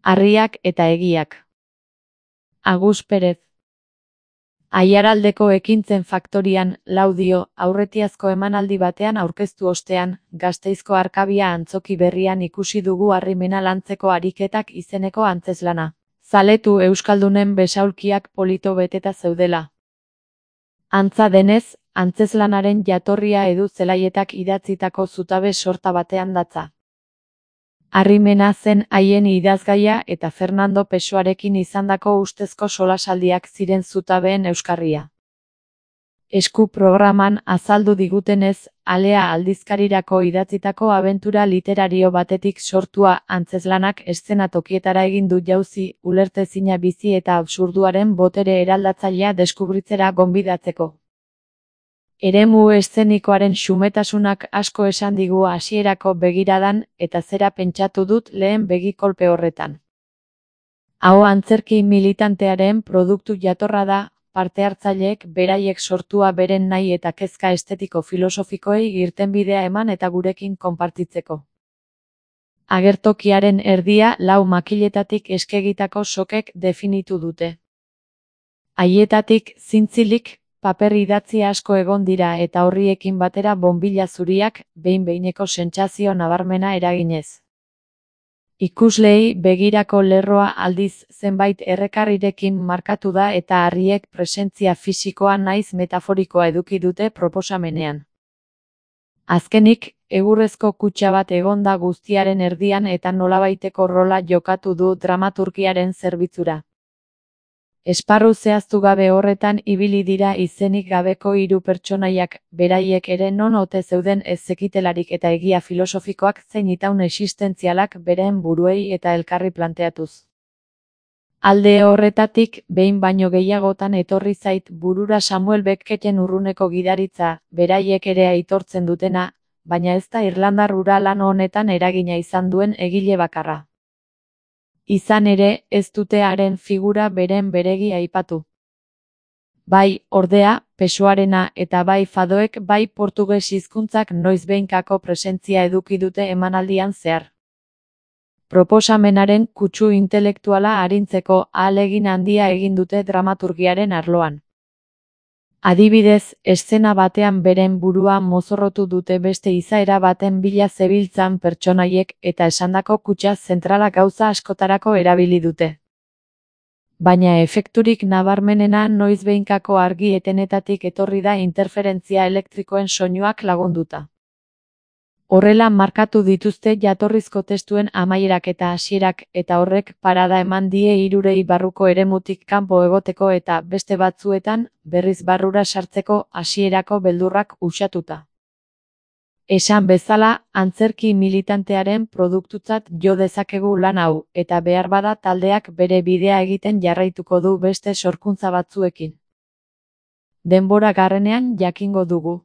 Harriak eta egiak. Agus Perez. Aiaraldeko Ekintzen Faktorian, Laudio, aurretiazko emanaldi batean aurkeztu ostean, Gasteizko Arkabia antzoki berrian ikusi dugu harrimena lantzeko ariketak izeneko antzezlana. Zaletu euskaldunen besaulkiak polito beteta zeudela. Antza denez, antzezlanaren jatorria Edu Zelaietak idatzitako zutabe sorta batean datza. Harrimena zen haien idazgaia eta Fernando Pessoarekin izandako ustezko solasaldiak ziren zutabeen euskarria. Esku programan azaldu digutenez, Alea aldizkarirako idatzitako abentura literario batetik sortua antzezlanak eszenatokietara egin du jauzi, ulertezina bizi eta absurduaren botere eraldatzailea deskubritzera gonbidatzeko. Eremu eszenikoaren xumetasunak asko esan digu hasierako begiradan eta zera pentsatu dut lehen begikolpe horretan. Hau antzerki militantearen produktu jatorra da, parte hartzaileek beraiek sortua beren nahi eta kezka estetiko filosofikoei irtenbidea eman eta gurekin konpartitzeko. Agertokiaren erdia 4 makiletatik eskegitako sokek definitu dute. Haietatik zintzilik, paper idatzi asko egon dira eta horriekin batera bonbila zuriak, behin-behineko sentsazio nabarmena eraginez. Ikusleei begirako lerroa aldiz zenbait errekarrirekin markatu da eta harriek presentzia fisikoa naiz metaforikoa eduki dute proposamenean. Azkenik, egurrezko kutxa bat egon da guztiaren erdian eta nolabaiteko rola jokatu du dramaturgiaren zerbitzura. Esparru zehaztu gabe horretan ibili dira izenik gabeko 3 pertsonaiak, beraiek ere non ote zeuden ez zekitelarik eta egia filosofikoak zein itaun existentzialak beren buruei eta elkarri planteatuz. Alde horretatik, behin baino gehiagotan etorri zait burura Samuel Becketen urruneko gidaritza, beraiek ere aitortzen dutena, baina ez da irlandar hura lan honetan eragina izan duen egile bakarra. Izan ere, ez dute haren figura beren beregi aipatu. Bai, ordea, Pessoarena eta bai fadoek bai portuges hizkuntzak noizbehinkako presentzia eduki dute emanaldian zehar. Proposamenaren kutsu intelektuala arintzeko ahalegin handia egin dute dramaturgiaren arloan. Adibidez, eszena batean beren burua mozorrotu dute beste izaera baten bila zebiltzan pertsonaiek eta esandako kutxa zentrala gauza askotarako erabili dute. Baina efekturik nabarmenena noizbehinkako argi etenetatik etorri da interferentzia elektrikoen soinuak lagunduta. Horrela markatu dituzte jatorrizko testuen amaierak eta hasierak eta horrek parada eman die hirurei barruko eremutik kanpo egoteko eta beste batzuetan berriz barrura sartzeko hasierako beldurrak uxatuta. Esan bezala, antzerki militantearen produktutzat jo dezakegu lan hau eta beharbada taldeak bere bidea egiten jarraituko du beste sorkuntza batzuekin. Denbora garrenean jakingo dugu.